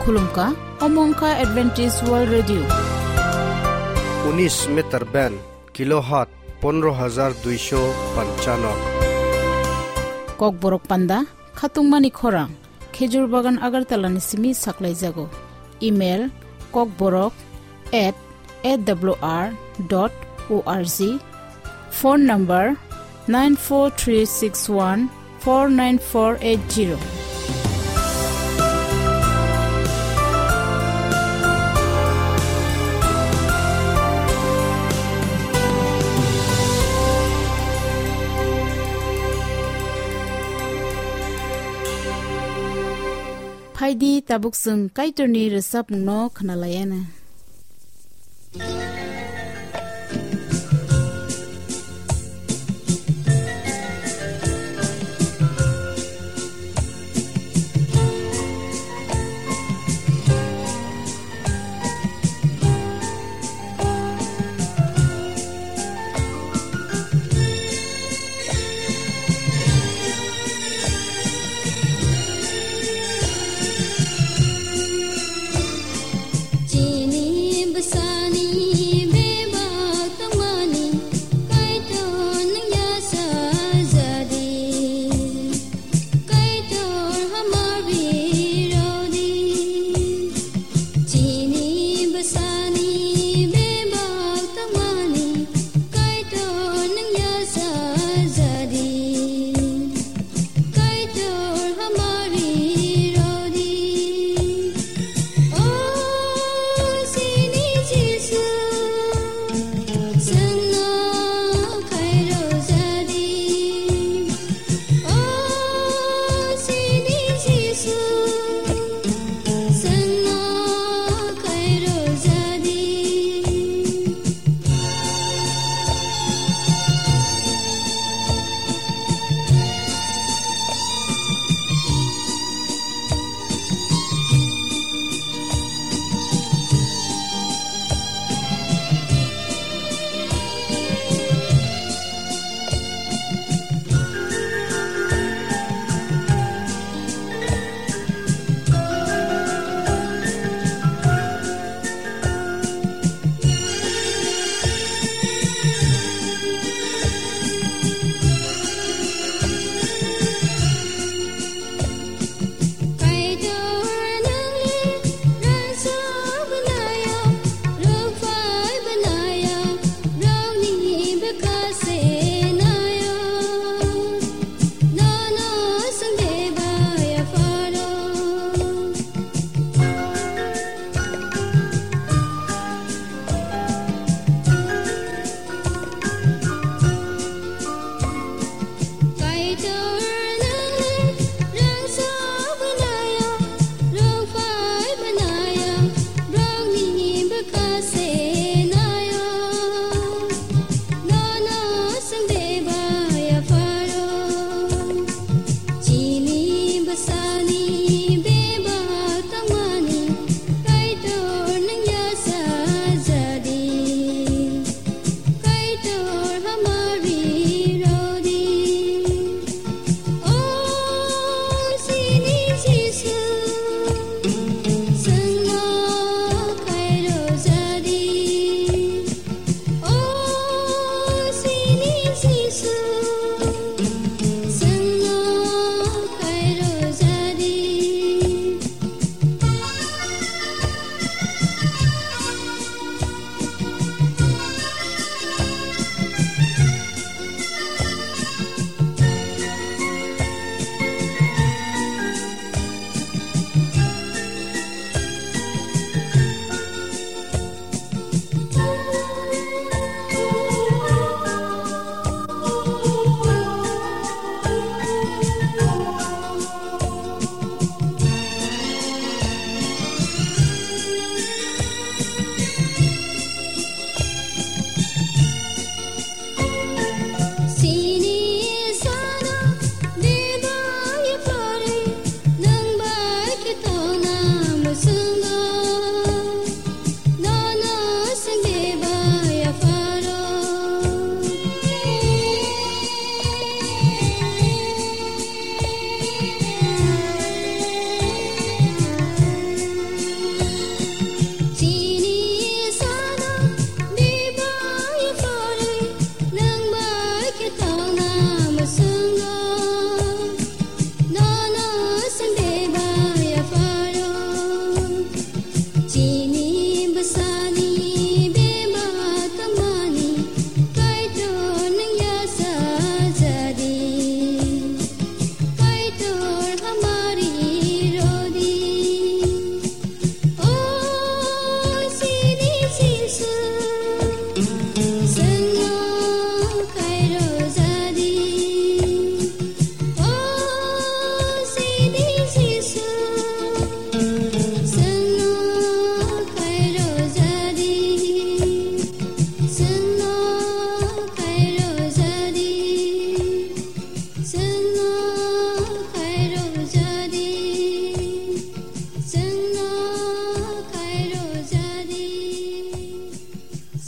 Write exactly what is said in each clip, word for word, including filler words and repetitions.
Khulumkha, omo wngkha Adventist World Radio. Unis meter band, kilohertz pondro hajar duisho panchano. Kokborok panda, khatungmani khorang, Khejur Bagan Agartala ni simi saklaijago. Email, kokborok at A W R dot O R G. Phone number nine four three six one four nine four eight zero. Phaidi tabuk chwng Kaitorni rwchapmungno khwnalaiana. Chini bwsani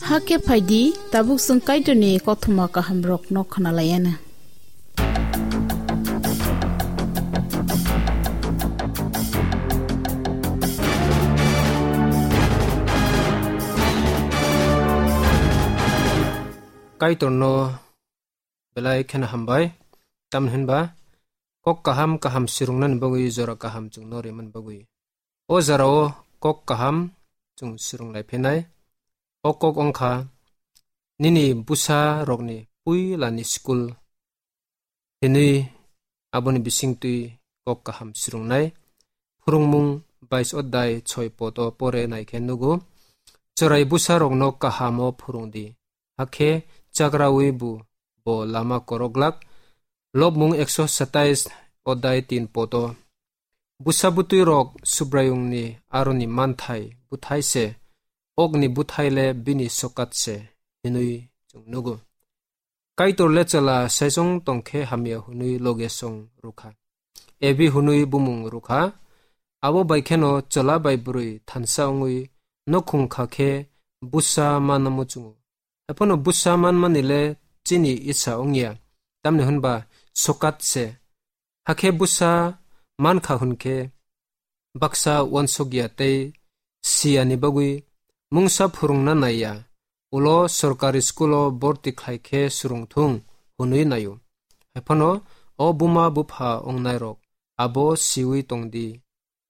Hakhe phaidi, tabuk chwng Kaitorni kothoma kahamrokno khwnalaiana. Kaitorno belai kheno hambai, tamni hwnba kok kaham kaham swrwngnani bagwi jora kaham chwngno rimani bagwi. O jorao kok kaham chwng swrwng lai phinai. O kok wngkha nini bwsa rokni puilani school hinwi aboni bisingtwi kok kaham swrwngnai. Phwrwngmung bais odai soi poto pore naikhe nugo. Chwrai bwsa rokno kahamo phwrwng di. Hakhe chagrawi bu bo lama koroglak. Lobmung ekso satais odai tin poto. Bwsa bwtwi rok Subraiyungni aroni manthai bwthai se, okni bwthai le bini sokat se, hinwi chwng nugo. Kaitor le chwla saichung tongkhe hamya hwnwi loge song rwkha. Evi hwnwi bumung rwkha. Abo bai kheno chwla bai bwrwi thansa wngwi nokhung kha khe bwsa manna muchungo. Haiphano bwsa manmani le chini isa wngya, tamni hwnba sokat se. Hakhe bwsa mankha hwnkhe baksa uansukya tei siyani bagwi mungsa phwrwngna naiya, ulo sorkari skulo borti khlai khe swrwngthung hwnwi naio. Haiphano o buma bupha wngnairok abo siwi tongdi.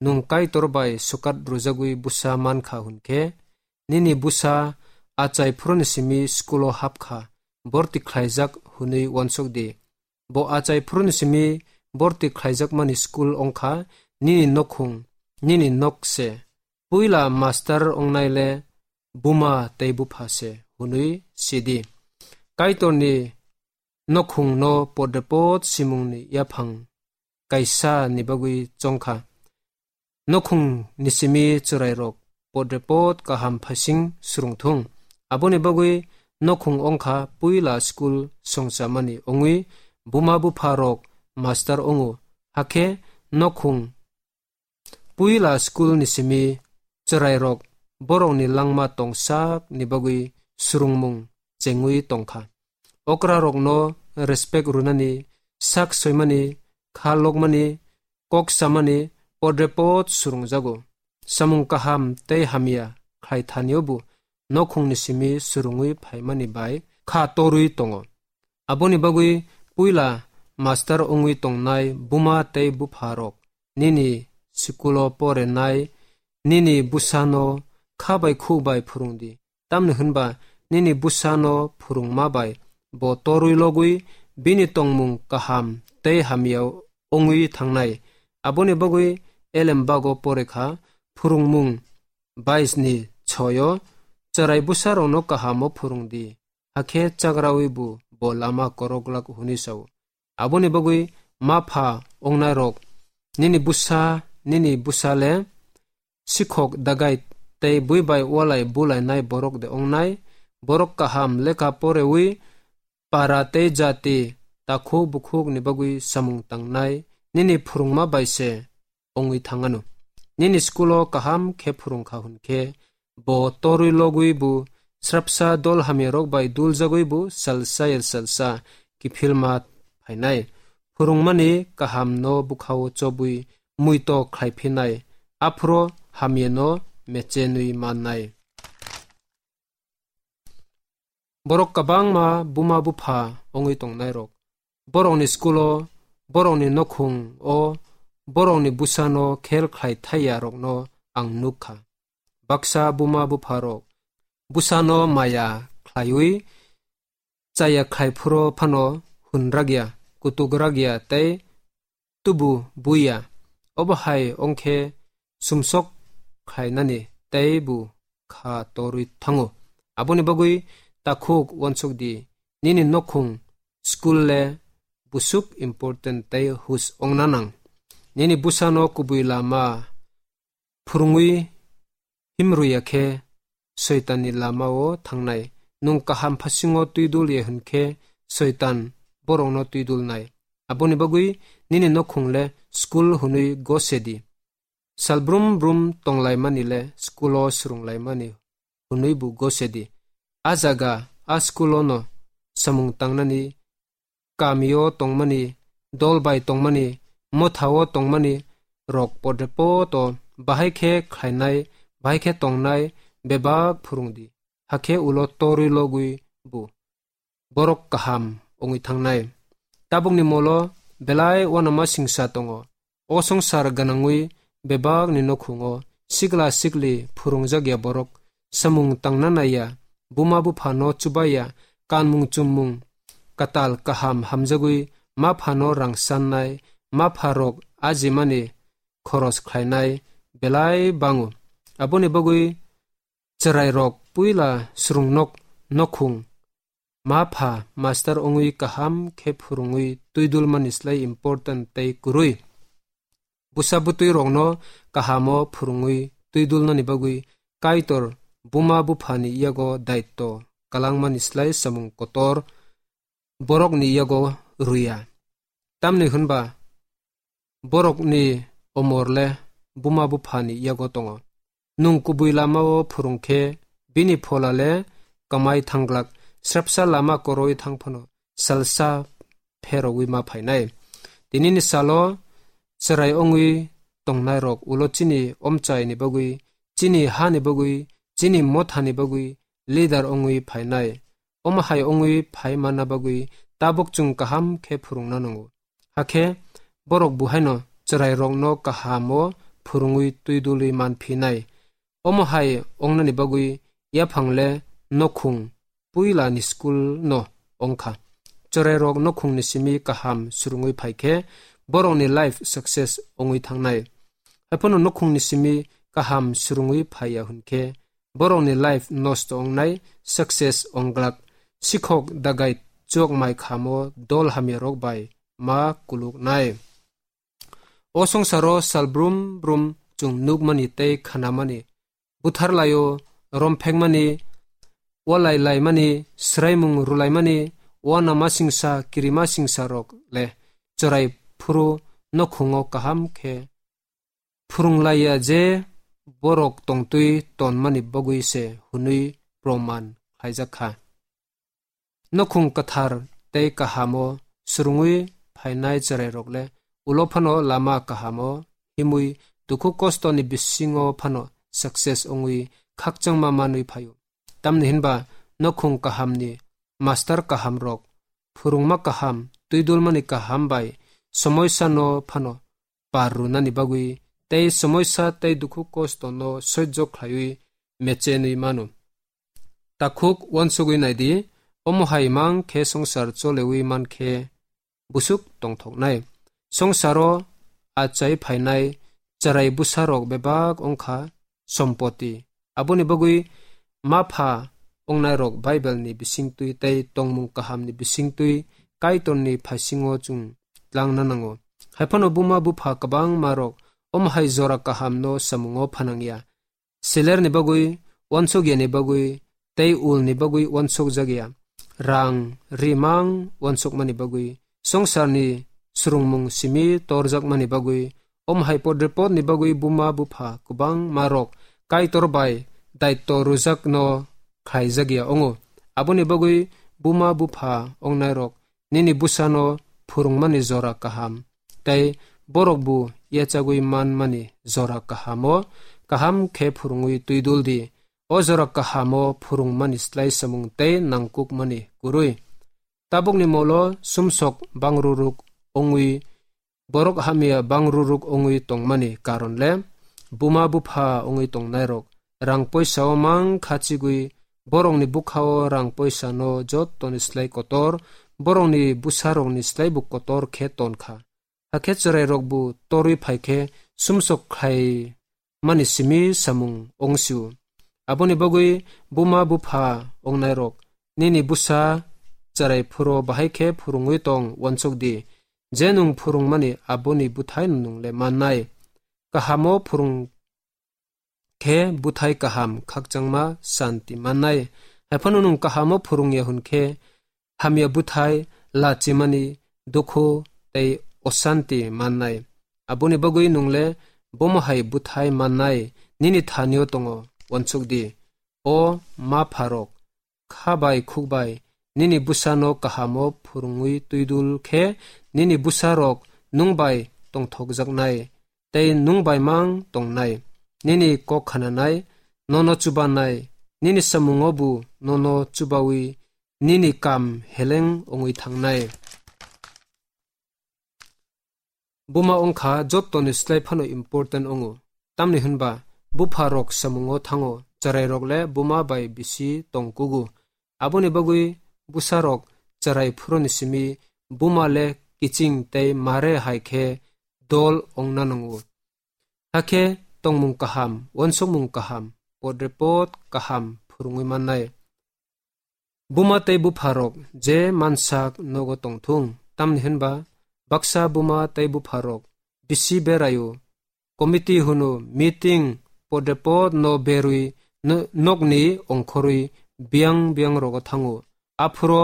Nwng Kaitor bai sokat rwjagwi bwsa mankha hwnkhe, nini bwsa achai phuruni simi skulo hapkha, borti khlaijak hwnwi uansuk di. Bo achai phuruni simi borti khlaijakmani skul wngkha nini nokhung, nini nok se. Puila master wngnai le buma tei bupha se hwnwi sidi. Kaitorni nokhungno podrepot simungni yaphang kaisa ni bagwi chongkha. Nokhung ni simi chwrairok podrepot kaham phasing swrwngthung. Aboni bagwi nokhung wngkha puila skul songchamani wngwi buma bupha rok master wngo. Hakhe nokhung puila skul ni simi chwrairok borokni langma tongsak ni bagwi swrwngmung chengwi tongkha. Okrarokno respect rwnani, sak soimani, kha lokmani, kok samani podrepot swrwngjago. Samung kaham tei hamya khlai thanio bo nokhungni simi swrwngwi phaimani bai kha torwi tongo. Aboni bagwi puila master wngwi tongnai buma tei bupha rok nini skulo porenai nini bwsano kha bai khuk bai phwrwng di. Tamni hwnba nini bwsano phwrwngma bai bo torwi logwi bini tongmung kaham tei hamya wngwi thangnai. Aboni bagwi Elembago porekha phwrwngmung bais ni soyo, chwrai bwsarokno kahamo phwrwng di, hakhe chagrawi bo, bo lama koroglak hwnwi sao. Aboni bagwi ma pha wngnairok, nini bwsa, nini bwsa le sikhok dagai tei bui bai walai bulainai borok de wngnai, borok kaham lekha porewi para tei jati takhuk bukhuk ni bagwi samung tangnai, nini phwrwngma bai se wngwi thangano. Nini skulo kaham khe phwrwngkha hwnkhe, bo torwi logwi bo srapsa dol hamyarok bai duljagwi bo salsa ya salsa kiphilma phainai. Phwrwngmani kahamno bwkhao chobwi muito khlai phinai, aphuru hamyano mechenwi mannai. Borok kwbangma buma bupha wngwi tongnairok, borokni skulo, borokni nokhungo, borokni bwsano khel khlai thaiyarokno ang nuk kha. Baksa buma bupharok bwsano maya khlaiwi chaya khlai phuru phano hun rakya, kutuk rakya tei tubu buiya. Obo hai wngkhe sumsok khlainani tei bo kha torwi thango. Aboni bagwi takhuk uansuk di, nini nokhung, school le busuk important tei hus wngna nang. Nini bwsano kubui lama phwrwngwi himrwya khe Soitanni lamao thangnai. Nwng kaham phasingo twidul ya hwn khe Soitan borokno twidulnai. Aboni bagwi nini nokhung le school hwnwi gose di. Sal brum brum tonglaimani le school-o swrwnglaimani hwnwi bo gose di. A jaga, a school-o no samung tangnani, kamio tongmani, dol bai tongmani, mothao tongmani rok podre poto bahai khe khlainai, bahai khe tongnai bebak phwrwng di. Hakhe ulo torwi logwi bu borok kaham wngwi thangnai. Tabukni molo belai uanama singsa tongo. O songsar gwnangwi bebakni nokhungo sikla sikli phwrwngjakya borok, samung tangna naiya, buma buphano chubaiya, kanmung chummung katal kaham hamjagwi maphano rang sannai, mapharok ajimani khoros khlainai belai bango. Aboni bagwi chwrairok puila swrwngnok nokhung ma pha master wngwi kaham khe phwrwngwi twidulmani slai important tei kwrwi. Bwsa bwtwi rokno kahamo phwrwngwi twidulnani bagwi Kaitor buma buphani yago daitto kwlangmani slai samung kotor borokni yago rwya. Tamni hwnba borokni omor le buma buphani yago tongo. Nwng kubui lamao phwrwng khe bini phola le kamai thanglak, srapsa lama koroi thang phano salsa pherogwi ma phainai. Tinini salo chwrai wngwi tongnairok ulo chini omchaini bagwi, chini hani bagwi, chini mothani bagwi leader wngwi phainai. Omo hai wngwi phai manna bagwi tabuk chwng kaham khe phwrwngna nango. Hakhe borok buhaino chwrairokno kahamo phwrwngwi twidulwi manphinai. Omo hai wngnani bagwi yaphang le nokhung puila ni school no wngkha. Chwrairok nokhungni simi kaham swrwngwi phai khe borokni life success wngwi thangnai. Haiphano nokhungni simi kaham swrwngwi phaiya hwn khe borokni life nosto wngnai, success wngglak. Sikhok dagai chok mai khamo dol hamyarok bai ma kuluknai. O songsaro sal brum brum chwng nukmani tei khanamani, butharlaio romphekmani, walai laimani, swraimung rwlaimani, uanama singsa, kirima singsa rok le chwrai phuru nokhungo kaham khe phwrwnglaiya je borok tongtwi tonmani bagwi se hwnwi proman khlaijak kha. Nokhung kwthar tei kahamo swrwngwi phainai chwrairok le ulo phano lama kahamo himwi dukhu kostoni bisingo phano success wngwi khakchangma manwi phaio. Tamni hinba nokhung kahamni master kahamrok, phwrwngma kaham, twidulmani kaham bai somoisano phano par rwnani bagwi tei somoisa tei dukhu kostono soijo khlaiwi mechenwi mano. Takhuk uansugwi naidi, omo hai mang khe songsar cholewi man khe busuk tongthoknai. Songsaro achai phainai chwrai bwsarok bebak wngkha sompoti. Aboni bagwi ma pha wngnairok Bible ni bisingtwi tei tongmung kaham ni bisingtwi Kaitor ni phaisingo chwng tlangna nango. Haiphano buma bupha kwbangma rok omo hai jora kaham no samungo phanangya. Seler ni bagwi, uansuk yani bagwi, tei ul ni bagwi uansuk jakya. Rang, rimang uansukmani bagwi, songsarni swrwngmung simi torjakmani bagwi, om hai podrepot ni bagwi buma bupha kwbangma rok Kaitor bai daitto rwjakno khlaijakya wngo. Aboni bagwi buma bupha ongnairok nini bwsano phwrwngmani jora kaham, tei borok bo yachagwi manmani jora kahamo kaham khe phwrwngwi twidul di. O jora kahamo phwrwngmani slai samung tei nangkukmani kwrwi. Tabukni molo sumsok bangruruk wngwi, borok hamya bangruruk wngwi tongmani karon le buma bupha wngwi tongnairok rang poisa o mang khachigwi borokni bwkha o rang poisa no jottoni slai kotor, borokni bwsa rokni slai bo kotor khe ton kha. Hakhe chwrai rok bo torwi phai khe sumsok khlai mani simi samung ongsio. Aboni bagwi buma bupha ongnairok, nini bwsa chwrai phuro bahai khe phwrwngwi tong uansuk di. Je nwng phwrwngmani aboni bwthai nwng le mannai. Kahamo phwrwng khe bwthai kaham khakchangma santi mannai. Haiphano nwng kahamo phwrwngya hwn khe hamya bwthai, lachimani, dukhu tei osanti mannai. Aboni bagwi nwng le bomo hai bwthai mannai nini thanio tongo, uansuk di. O ma pharok, kha bai khuk bai nini bwsano kahamo phwrwngwi twidul khe nini bwsarok nwng bai tongthokjaknai tei nwng bai mang tongnai. Nini kok khananai, nono chubanai, nini samungo bo nono chubawi nini kam heleng wngwi thangnai. Buma wngkha jottoni slai phano important wngo, tamni hwnba bupharok samungo thango, chwrairok le buma bai bisi tong kugo. Aboni bagwi bwsarok chwrai phuruni simi buma le kiching tei mare hai khe dol wngna nango. Hakhe tongmung kaham, uansukmung kaham, podrepot kaham phwrwngwi mannai. Buma tei bupharok je mansak nogo tongthung, tamni hwnba baksa buma tei bupharok bisi beraio, committee hwno, meeting, podrepot no berwi no-, nokni ongkhorwi biyang biyang rogo thango. Aphuro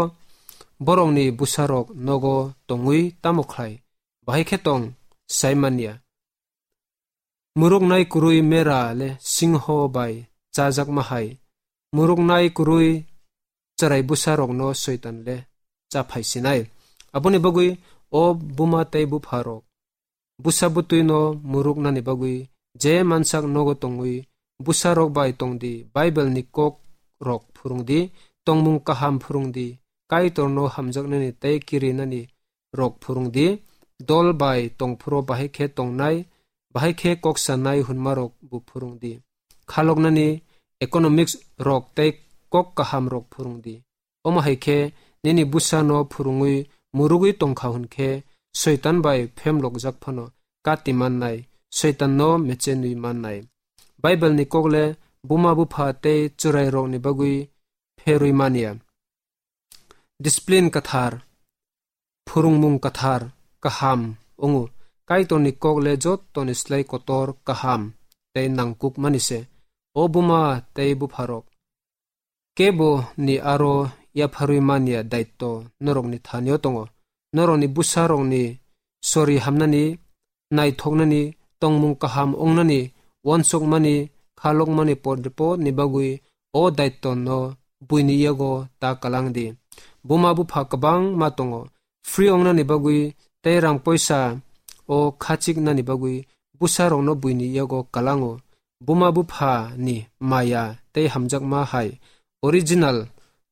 borokni bwsarok nogo tongwi tamo khlai? Bahai khe tong, sai manya. Muruknai kwrwi mera le singho bai chajakma hai. Muruknai kwrwi chwrai bwsarokno Soitan le chaphai sinai. Aboni bagwi o buma tei bupharok, bwsa bwtwino muruknani bagwi je mansak nogo tongwi bwsarok bai tongdi, Bible ni kok rok phwrwngdi, tongmung kaham phwrwngdi, Kaitorno hamjaknani tei kirinani rok phwrwngdi, dol bai tongphuru bahai khe tongnai, bahai khe kok sanai hwnmarok bo phwrwngdi. Khaloknani economics rok tei kok kaham rok phwrwngdi. Omo hai khe nini bwsano phwrwngwi murugwi tongkha hwn khe Soitan bai phemlokjak phano kati mannai, Soitanno meche nwi mannai. Bible ni kok le buma bupha tei chwrairokni bagwi pherwi manya. Discipline kwthar, phwrwngmung kwthar, kaham wngo. Kaitorni kok le jottoni slai kotor, kaham tei nangkukmani se. O buma tei bupharok, kebo ni aro yapharwi manya daitto norokni thanio tongo. Norokni bwsarokni sori hamnani, naithoknani, tongmung kaham wngnani, uansukmani, khalokmani podrepotni bagwi o daitto no buini yago ta kalang di. Buma bupha kwbangma tongo, free wngnani bagwi tei rang poisa o khachiknani bagwi bwsarokno buini yago kalango. Buma bupha ni maya tei hamjakma hai original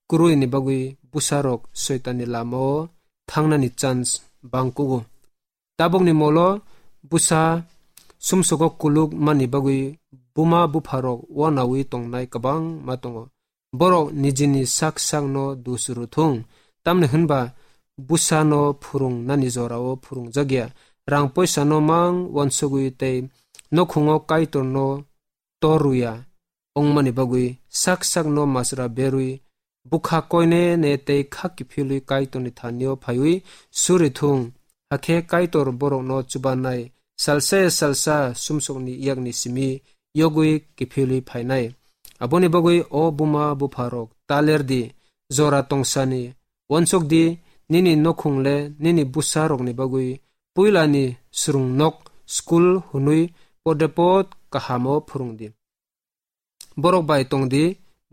kwrwini bagwi bwsarok Soitanni lamao thangnani chance bangkugo. Tabukni molo bwsa sumsogo kuluk mani bagwi buma bupharok uanaui tongnai kwbangma tongo. Borok nijini sak sakno dus rwthung, tamni hwnba bwsano phwrwng nani jorao phwrwngjakya, rang poisano mang uansugwi tei nokhungo Kaitorno tor rwya wngmani bagwi sak sakno masra berwi bwkha koine ne tei kha kiphilwi Kaitorni thanio phaiwi suri thung. Hakhe Kaitor borokno chubanai salsa ya salsa sumsokni yakni simi yogwi kiphilwi phainai. Aboni bagwi o buma bupharok, ta ler di, jora tongsani uansuk di, nini nokhung le nini bwsarokni bagwi puilani swrwng nok, school hwnwi podrepot kahamo phwrwng di. Borok bai tong di,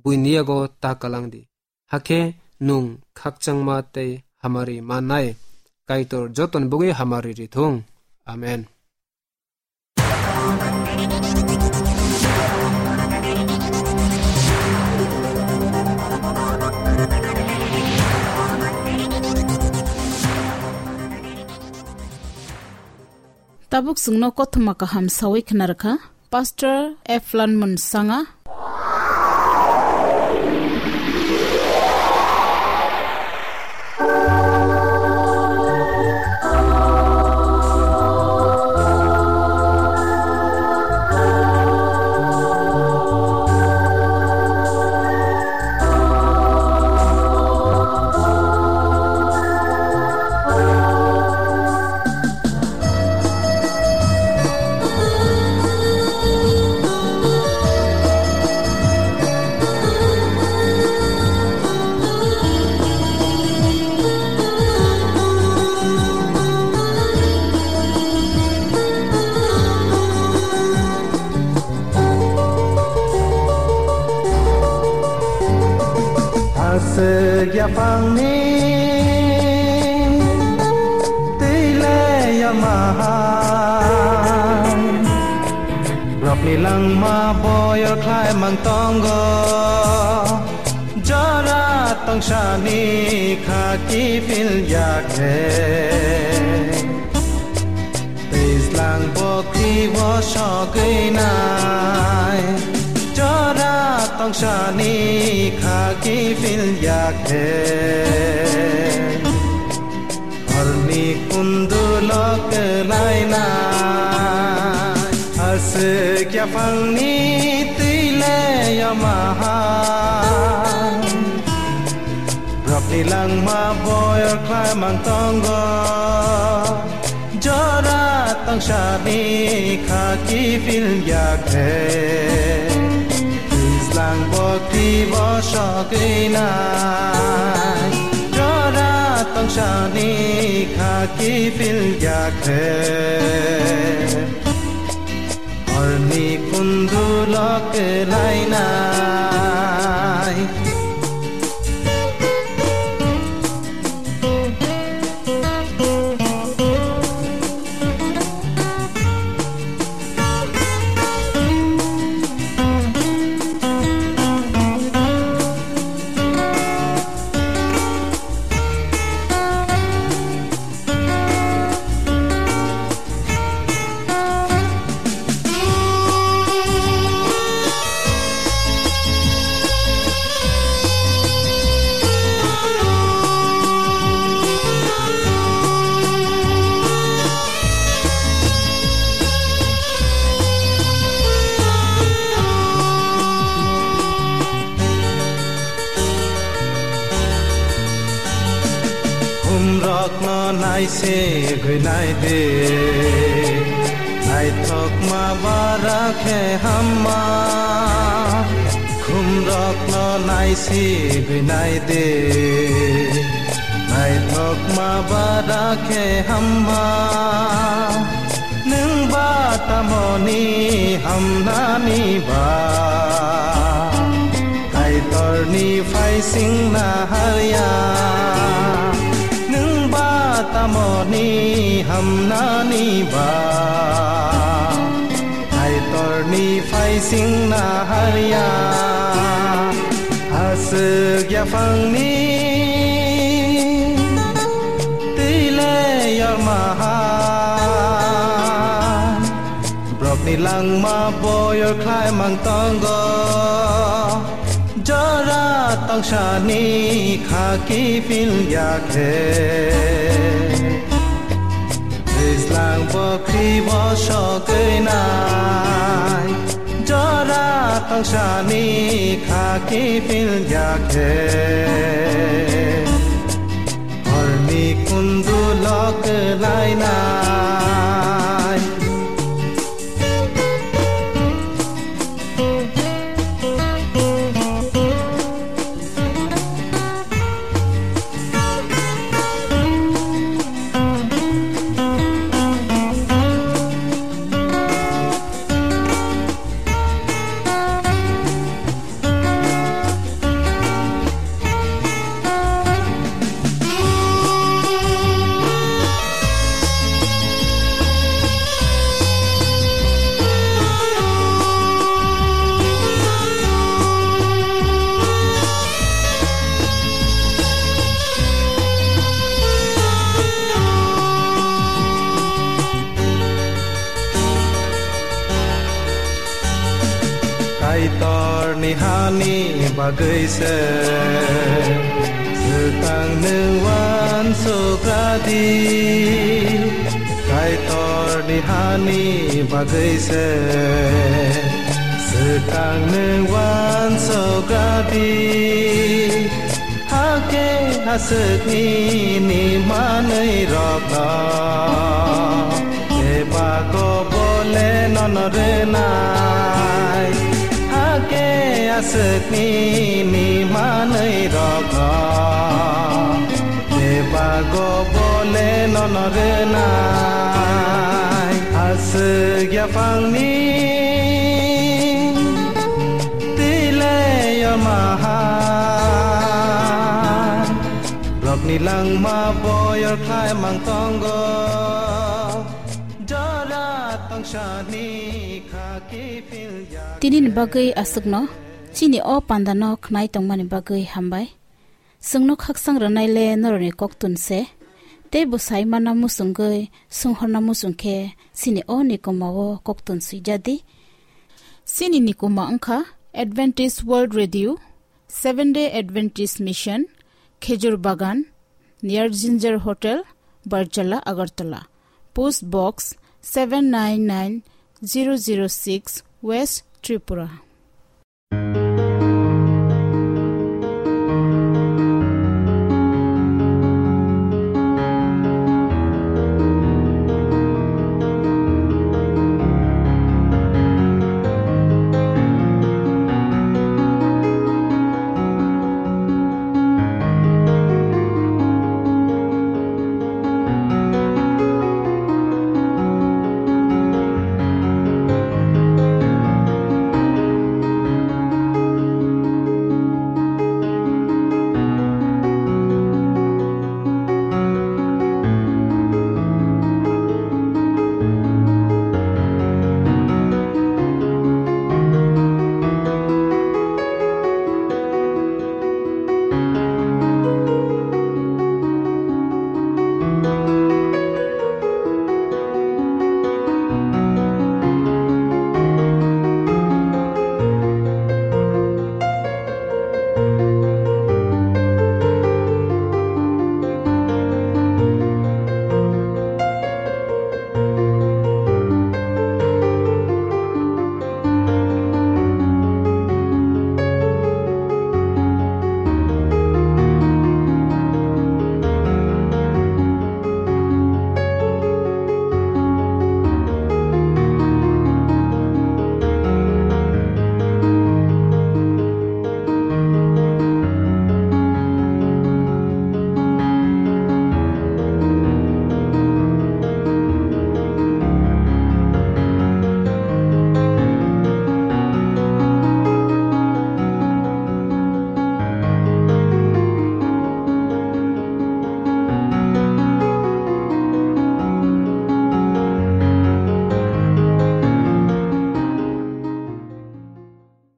buini yago ta kalang di. Hakhe nwng khakchangma tei hamari mannai. Kaitor jotoni bagwi hamari rithung. Amen. Tabuk chwngno kothoma kaham sawi khna rwkha Pastor Eflan Munsanga. Yaphangni twi le yamaha, borokni langma boyor khlai mang tongo, jora tongsani kha kiphil ya khe. Twijlang bokti bo sogwi nai, jora tongsani kha kiphil ya khe. Horni kundulo kwlainai, aswk yaphangni twi le yamaha. Borokni langma boyor khlai mang tongo, jora tongsani kha kiphil ya khe. Twijlang bokti bo sogwi nai, jora tongsani kha kiphil ya khe. Horni kundulo kwlainai. Khumrokno naisegwi naidi, naithokma bara khe hamma. Khumrokno naisegwi naidi, naithokma bara khe hamma. Nwng ba tamoni hamnani ba? Kaitorni phaisingna harya. Nwng ba tamoni hamnani ba? Kaitorni phaisingna harya. Aswk yaphangni twi le yormahan. Borokni langma boyor khlai mang tongo, jora tongsani kha kiphil ya khe. Twijlang bokti bo sogwi nai, jora tongsani kha kiphil ya khe. Horni kundulo kwlainai. Kaitorni hani bagwi se swkang nwng uansuk radi. Kaitorni hani bagwi se swkang nwng uansuk radi. Hakhe aswkni ni manwi rokno bebak o bole nono rwnai. Hakhe aswkni ni manwi rokno bebak o bole nono rwnai. Aswk yaphangni twi le yormahan. Langma boyor khlai mang tongo, jora tongsani kha kiphil ya. Tini ni bagwi aswkno, chini o panda no khnai tongmani bagwi hambai. Chwngno khaksang rwnai le norokni koktun se, tei bo sai manna muchungwi, swnghorna muchung khe chini o nikuma o koktun swijadi. Chini nikuma wngkha Adventist World Radio, Seven Day Adventist Mission, Khejur Bagan, near Ginger Hotel, Barjala, Agartala. Post Box seven nine nine zero zero six, West Tripura.